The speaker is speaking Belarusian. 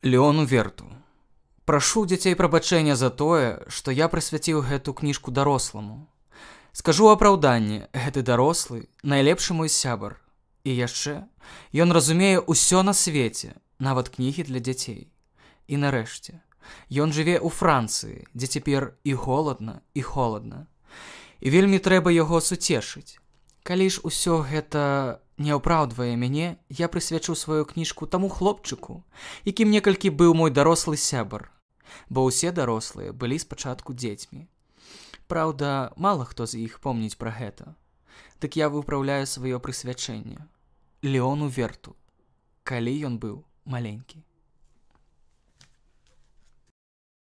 Леону Верту. Прашу дзяцей прабачэння за тое, што я прысвяціў гэту кніжку даросламу. Скажу апраўданне, гэты дарослы найлепшы мой сябар. І яшчэ ён разумее ўсё на свеце, нават кнігі для дзяцей. І нарэшце, ён жыве ў Францыі, дзе цяпер і голадна, і холадна. І вельмі трэба яго суцешыць. Калі ж усё гэта не апраўдвае мяне, я прысвячу сваю кніжку таму хлопчыку, якім некалькі быў мой дарослы сябар, бо ўсе дарослыя былі спачатку дзецьмі. Праўда, мала хто з іх помніць пра гэта. Дык я выпраўляю сваё прысвячэнне Леону Верту, калі ён быў маленькі.